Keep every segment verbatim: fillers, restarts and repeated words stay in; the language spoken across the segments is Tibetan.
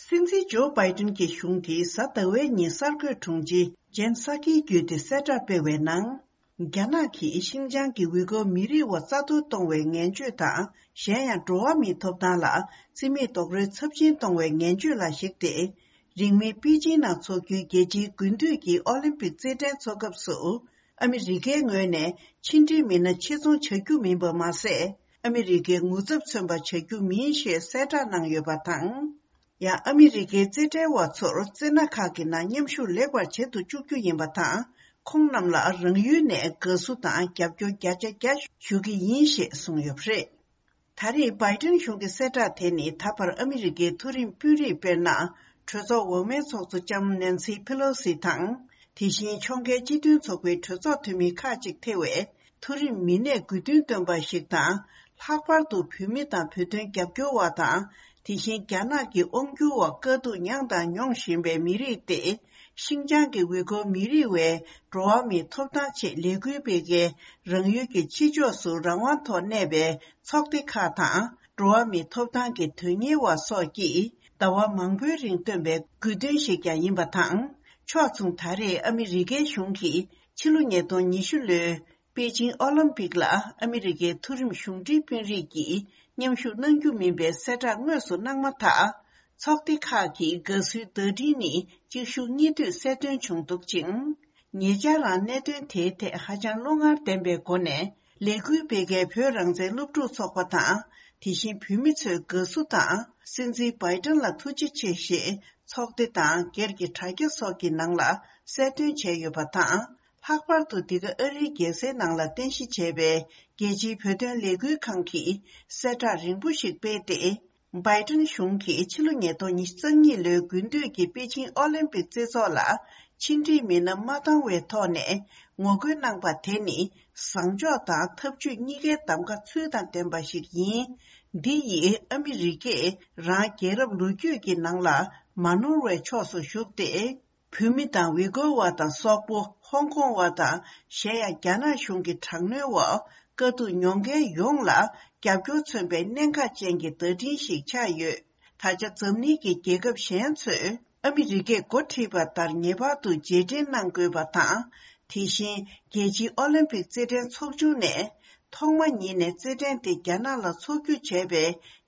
སྲིད་འཛིན་ཇོ་བྷའི་ཏིན་གྱི་གཞུང་གིས་གཟའ་ཟླ་བའི་ཉིན་གསར་འགོད་དྲུང་ཆེ་ཇེན་སཱ་ཀིའི་བརྒྱུད་དེ་གསལ་བསྒྲགས་སྤེལ་བའི་ནང་། རྒྱ་ནག་གིས་ཤིན་ཅང་གི་ཝི་གོ་མི་རིགས་བ་རྩ་གཏོར་གཏོང་བའི་ངན་བྱུས་དང་། གཞན་ཡང་འགྲོ་བ་མིའི་ཐོབ་ཐང་ལ་བརྩི་མེད་རྡོག་རོལ་ཚབས་ཆེན་གཏོང་བའི་ངན་བྱུས་ལ་གཞིགས་ཏེ། རིང་མིན་པེ་ཅིང་ནང་འཚོགས་རྒྱུའི་རྒྱལ་སྤྱིའི་དགུན་དུས་ཀྱི་ཨོ་ལིམ་པིག་རྩེད་འགྲན་འཚོགས་སྐབས་སུ། ཨ་མི་རི་ཀའི་ངོས་ནས་ཕྱི་འབྲེལ་མི་སྣ་ཆེད་རྫོང་བྱ་རྒྱུ་མིན་པ་མ་ཟད། ཨ་མི་རི་ཀའི་ངོ་ཚབ་མཚོན་པ་བྱ་རྒྱུ་མིན་ཞེས་གསལ་བསྒྲགས་གནང་ཡོད་པ་དང་། ཡང་ཨ་མི་རི་ཀའི་རྩེད་འགྲན་བ་ཚོར་རྩེད་སྣ་ཁག་གི་ནང་མཉམ་ཞུགས་ལེགས་པར་བྱེད་དུ་བཅུག་རྒྱུ་ཡིན་པ་དང་། ཁོང་རྣམས་ལ་རང་ཡུལ་ནས་དགའ་བསུ་དང་རྒྱབ་སྐྱོར་བརྒྱ་ཆ་བརྒྱ་ཞུ་གི་ཡིན་ཞེས་གསུངས་ཡོད་པ་རེད། ད་རེས་བྷའི་ཏིན་གཞུང་གི་གསལ་བསྒྲགས་དེ་ནི་ད་བར་ཨ་མི་རི་ཀའི་མཐོ་རིམ་དཔོན་རིགས་དཔེར་ན། གྲོས་ཚོགས་འོག་མའི་ཚོགས་གཙོ་ལྕམ་ནན་སི་ཕེ་ལོ་སི་དང་། དེ་བཞིན་ཕྱོགས་འགལ་སྤྱི་མཐུན་ཚོགས་པའི་གྲོས་ཚོགས་འཐུས་མི་ཁག་ཅིག་ཐེ་བའི་མཐོ་རིམ་མི་སྣས་དགོས་འདུན་བཏོན་པ་ཞིག་དང་། ལྷག་པར་དུ་བོད་མི་དང་བོད་དོན་རྒྱབ་སྐྱོར་བ་དང་། དེ་བཞིན་རྒྱ་ནག་གི་དབང་སྒྱུར་འོག་དཀའ་སྡུག་མྱངས་དང་མྱོང་བཞིན་པའི་མི་རིགས་ཏེ། ཤིན་ཅང་གི་ཝི་གོ་མི་རིགས་བའི་འགྲོ་བ་མིའི་ཐོབ་ཐང་ཆེད་ལས་འགུལ་སྤེལ་མཁན། རང་ཡུལ་གྱི་ཕྱི་ཕྱོགས་སུ་རང་དབང་ཐོག་གནས་པའི་ཚོགས་སྡེ་ཁག་དང་། འགྲོ་བ་མིའི་ཐོབ་ཐང་གི་དོན་གཉེར་བ་སོགས་ཀྱིས་ཟླ་བ་མང་པོའི་རིང་བཏོན་པའི་དགོས་འདུན་ཞིག་ཀྱང་ཡིན་པ་དང་། ཕྱོགས་མཚུངས་ད་རེས་ཨ་མི་རི་ཀའི་གཞུང་གིས་ཕྱི་ལོ་ཉིས་སྟོང་ཉི་ཤུ་ལོའི་པེ་ཅིང་ཨོ་ལིམ་པིག་ལ་ཨ་མི་རི་ཀའི་མཐོ་རིམ་གཞུང་འབྲེལ་དཔོན་རིགས་ཀྱིས་མཉམ་ཞུགས་གནང་རྒྱུ་མིན་པའི་གསལ་བསྒྲགས་དངོས་སུ་གནང་མ་ཐག། ཚོགས་སྡེ་ཁག་གིས་དགའ་བསུའི་བརྡ་འཕྲིན་ནི་གཅིག་མཇུག་གཉིས་མཐུད་གསལ་སྟོན་བྱུང་འདུག་ཅིང་། ཉེ་ཆར་རང་གནད་དོན་དེའི་ཐད་ཧ་ཅང་བློ་ངར་ལྡན་པའི་སྒོ་ནས་ལས་འགུལ་སྤེལ་མཁན་བོད་རང་བཙན་སློབ་ཕྲུག་ཚོགས་པ་དང་། དེ་བཞིན་བོད་མི་ཚོས་དགའ་བསུ་དང་། སྲིད་འཛིན་བྷའི་ཏིན་ལ་ཐུགས་རྗེ་ཆེ་ཞེས་ཚོགས་སྡེ་དང་སྒེར་གྱི་དྲ་རྒྱ་སོགས་ཀྱི་ནང་ལ་གསལ་སྟོན་བྱས་ཡོད་པ་དང་། ལྷག་པར་དུ་འདི་ག་ཨ་རིའི་རྒྱལ་སའི་ནང་ལ་རྟེན་གཞི་བྱས་པའི་རྒྱལ་སྤྱིའི་བོད་དོན་ལས་འགུལ་ཁང་གིས་གསལ་བསྒྲགས་རིང་པོ་ཞིག་སྤེལ་ཏེ། བྷའི་ཏིན་གཞུང་གིས་ཕྱི་ལོ་ཉིས་སྟོང་ཉི་ཤུ་རྩ་གཉིས་ལོའི་དགུན་དུས་ཀྱི་པེ་ཅིང་ཨོ་ལིམ་པིག་རྩེད་ཚོགས་ལ་ཕྱི་འབྲེལ་མི་སྣ་མ་བཏང་བའི་ཐོག་ནས་ངོ་རྒོལ་གནང་པ་དེ་ནི་བཟང་ཕྱོགས་དང་ཐབས་ཇུས་གཉིས་ཀའི་གདམ་ག་ཚུལ་དང་ལྡན་པ་ཞིག་ཡིན། འདི་ཡིས་ཨ་མི་རི་ཀས་རང་རྒྱལ་རབས་ལོ་རྒྱུས་ཀྱི་ནང་ལ་མ་ནོར་བའི་ཕྱོགས་སུ་ཞུགས་ཏེ། བོད་མི་དང་ཝི་གོ་བ་དང་སོག་པོ། ཧོང་ཀོང་བ་དང་གཞན་ཡང་རྒྱ་ནག་གཞུང་གི་དྲག་གནོན་འོག་དཀའ་སྡུག་མྱོང་མཁན་ཡོངས་ལ་རྒྱབ་སྐྱོར་མཚོན་པའི་གནད་འགག་ཅན་གྱི་བརྡ་འཕྲིན་ཞིག་ཆགས་ཡོད། ད་ཆ་འཛམ་གླིང་གི་རྒྱལ་ཁབ་གཞན་ཚོས་ཨ་མི་རི་ཀས་འགོ་ཁྲིད་པ་ལྟར་ངེས་པར་དུ་རྗེས་དྲན་གནང་དགོས་པ་དང་། དེ་བཞིན་རྒྱལ་སྤྱིའི་ཨོ་ལིམ་པིག་རྩེད་འགྲན་ཚོགས་ཆུང་ནས། ཐོག་མ་ཉིད་ནས་རྩེད་འགྲན་དེ་རྒྱ་ནག་ལ་འཚོགས་རྒྱུ་བྱས་པའི་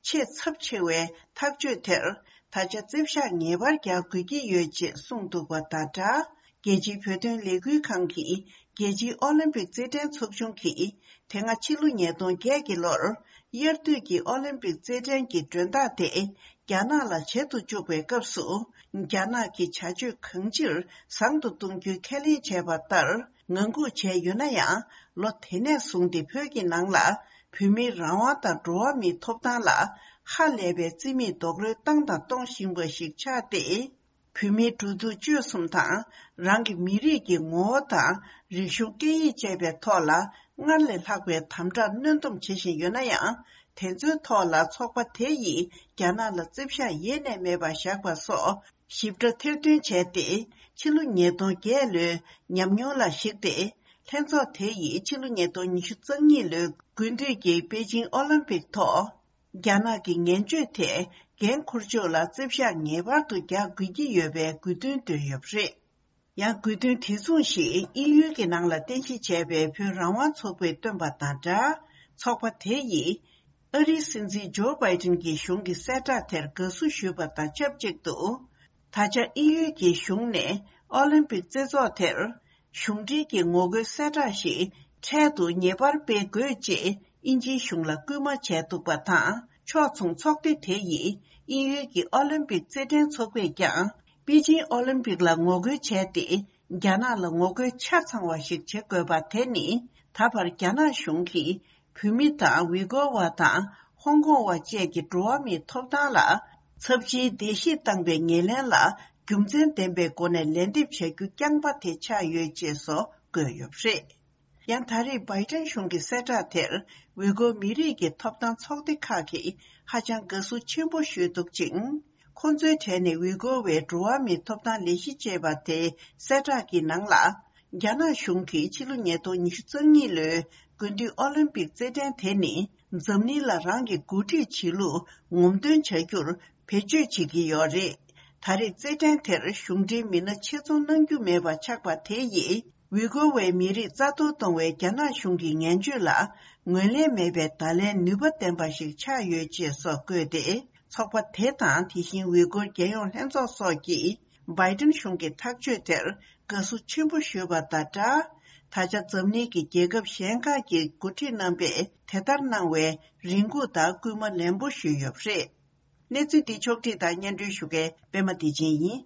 ཆེས་ཚབས་ཆེ་བའི་ཐག་གཅོད་དེར། ད་ཆ་རྩིབ་ཤག་ངེས་པར་རྒྱག་དགོས་ཀྱི་ཡོད་ཅེས་གསུངས་འདུག་པ་དང་སྦྲགས། རྒྱལ་སྤྱིའི་བོད་དོན་ལས་འགུལ་ཁང་གིས་རྒྱལ་སྤྱིའི་ཨོ་ལིམ་པིག་རྩེད་འགྲན་ཚོགས་ཆུང་གིས། དེ་སྔ་ཕྱི་ལོ་ཉིས་སྟོང་བརྒྱད་ཀྱི་ལོར། དབྱར་དུས་ཀྱི་ཨོ་ལིམ་པིག་རྩེད་འགྲན་གྱི་མགྲོན་བདག་དེ། རྒྱ་ནག་ལ་བྱེད་དུ་བཅུག་པའི་སྐབས་སུ། རྒྱ་ནག་གི་བྱ་སྤྱོད་གང་ཅིར་བཟང་དུ་གཏོང་རྒྱུའི་ཁས་ལེན་བྱས་པ་ལྟར། ངང་སྒུག་བྱས་ཡོད་ན་ཡང་། ལོ་དེ་ནས་བཟུང་སྟེ་བོད་ཀྱི་ནང་ལ། བོད་མིའི་རང་དབང་དང་འགྲོ་བ་མིའི་ཐོབ་ཐང་ལ། ཧ་ལས་པའི་རྩིས་མེད་རྡོག་རོལ་བཏང་དང་གཏོང་བཞིན་པ་ཞིག་ཆགས་ཏེ། བོད་མིའི་འགྲོ་འདུག་སྤྱོད་གསུམ་དང་། རང་གི་མི་རིགས་ཀྱི་ངོ་བོ་དང་། རིག་གཞུང་སྐད་ཡིག་བཅས་པའི་ཐོག་ལ། སྔར་ལས་ལྷག་པའི་དམ་དྲག་གནོན་སྡོམ་བྱེད་བཞིན་ཡོད་ན་ཡང་། དེ་ཚོའི་ཐོག་ལ་ཚོགས་པ་དེ་ཡིས་རྒྱ་ནག་ལ་རྩིབ་ཤག་ཡེ་ནས་མེད་པར་བཞག་པ་སོགས་ཞིབ་ཕྲ་ཐེར་འདོན་བྱས་ཏེ། ཕྱི་ལོ་ཉིས་སྟོང་བརྒྱད་ལོའི་ཉམས་མྱོང་ལ་གཞིགས་ཏེ། ལྷན་ཚོགས་དེ་ཡིས་ཕྱི་ལོ་ཉིས་སྟོང་ཉི་ཤུ་རྩ་གཉིས་ལོའི་དགུན་དུས་ཀྱི་པེ་ཅིང་ཨོ་ལིམ་པིག་ཐོག་རྒྱ་ནག་གི་ངན་སྤྱོད་ཐད་འགན་འཁུར་ཕྱོགས་ལ་རྩིབ་ཤག་ངེས་པར་དུ་རྒྱག་དགོས་ཀྱི་ཡོད་པའི་དགོས་འདུན་བཏོན་ཡོད་པ་རེད། ཡང་དགོས་འདུན་དེ་མཚུངས་ཤིག་དབྱིན་ཡུལ་གྱི་ནང་ལ་རྟེན་གཞི་བྱས་པའི་བོད་རང་དབང་ཚོགས་པས་བཏོན་པ་དང་སྦྲགས། ཚོགས་པ་དེ་ཡིས་ཨ་རིའི་སྲིད་འཛིན་ཇོ་བྷའི་ཏིན་གྱི་གཞུང་གི་གསལ་བསྒྲགས་དེར་དགའ་བསུ་ཞུས་པ་དང་ཆབས་ཅིག་ཏུ། ད་ཆ་དབྱིན་ཡུལ་གྱི་གཞུང་ནས་ཨོ་ལིམ་པིག་རྩེད་ཚོགས་དེར་གཞུང་འབྲེལ་གྱི་ངོ་རྒོལ་གསལ་བསྒྲགས་ཤིག་འཕྲལ་དུ་ངེས་པར་སྤེལ་དགོས་ཅེས་དབྱིན་ཇིའི་གཞུང་ལ་སྐུལ་མ་བྱས་འདུག་པ་དང་། ཕྱོགས་མཚུངས་ཚོགས་སྡེ་དེ་ཡིས་དབྱིན་ཡུལ་གྱི་ཨོ་ལིམ་པིག་རྩེད་འགྲན་ཚོགས་པས་ཀྱང་པེ་ཅིང་ཨོ་ལིམ་པིག་ལ་ངོ་རྒོལ་བྱས་ཏེ། རྒྱ་ནག་ལ་ངོ་རྒོལ་ཆ་ཚང་བ་ཞིག་བྱེད་དགོས་པ་དེ་ནི། ད་བར་རྒྱ་ནག་གཞུང་གིས་བོད་མི་དང་ཝི་གོ་བ་དང་ཧོང་ཀོང་བ་བཅས་ཀྱི་འགྲོ་བ་མིའི་ཐོབ་ཐང་ལ་ཚབས་ཆེའི་བརྡལ་བཤིག་བཏང་པའི་ཉེར་ལེན་ལ་རྒྱུ་མཚན་ལྡན་པའི་སྒོ་ནས་ལན་འདེབས་བྱ་རྒྱུ་རྐྱང་པ་དེ་ཆགས་ཡོད་ཅེས་སོགས་བཀོད་ཡོད་པ་རེད། ཡང་ད་རེས་བྷའི་ཏན་གཞུང་གི་གསལ་བསྒྲགས་དེར་ཝི་གོ་མི་རིགས་ཀྱི་ཐོབ་ཐང་ཚོགས་སྡེ་ཁག་གིས་ཧ་ཅང་དགའ་བསུ་ཆེན་པོ་ཞུས་འདུག་ཅིང་། ཁོང་ཚོའི་གྲས་ནས་ཝི་གོ་བའི་འགྲོ་བ་མིའི་ཐོབ་ཐང་ལས་གཞི་ཅེས་པ་དེའི་གསལ་བསྒྲགས་ཀྱི་ནང་ལ། རྒྱ་ནག་གཞུང་གིས་ཕྱི་ལོ་ཉིས་སྟོང་ཉི་ཤུ་རྩ་གཉིས་ལོའི་དགུན་དུས་ཨོ་ལིམ་པིག་རྩེད་འགྲན་དེ་ནི་འཛམ་གླིང་ལ་རང་གི་འགོ་ཁྲིད་བྱེད་ལུགས་ངོམ་སྟོན་བྱ་རྒྱུར་ བེད་སྤྱོད་བྱེད་ཀྱི་ཡོད་རེད། ད་རེས་རྩེད་འགྲན་དེར་གཞུང་འབྲེལ་མི་སྣ་ཆེད་རྫོང་གནང་རྒྱུ་མེད་པ་ཆགས་པ་དེ་ཡིས། ཝི་གོ་བའི་མི་རིགས་རྩ་གཏོར་གཏོང་བའི་རྒྱ་ནག་གཞུང་གི་ངན་བྱུས་ལ་ངོས་ལེན་མེད་པའི་བརྡ་ལན་ནུས་པ་ལྡན་པ་ཞིག་ཆགས་ཡོད་ཅེས་སོགས་བཀོད་དེ། ཚོགས་པ་དེ་དང་དེ་བཞིན་ཝི་གོར་རྒྱལ་ཡོངས་ལྷན་ཚོགས་སོགས་ཀྱིས་བྷའི་ཏིན་གཞུང་གི་ཐག་གཅོད་དེར་དགའ་བསུ་ཆེན་པོ་ཞུས་པ་དང་སྦྲགས། ད་ཆ་འཛམ་གླིང་གི་རྒྱལ་ཁབ་གཞན་ཁག་གི་འགོ་ཁྲིད་རྣམ་པས་དེ་ལྟར་གནང་བའི་རེ་སྒུག་དང་སྐུལ་མ་ལན་པོ་ཞུས་ཡོད་པ་རེད། གནས་ཚུལ་འདི་ཕྱོགས་བསྒྲིགས་དང་སྙན་སྒྲོན་ཞུ་མཁན་པད་མ་བདེ་ཆེན་ཡིན།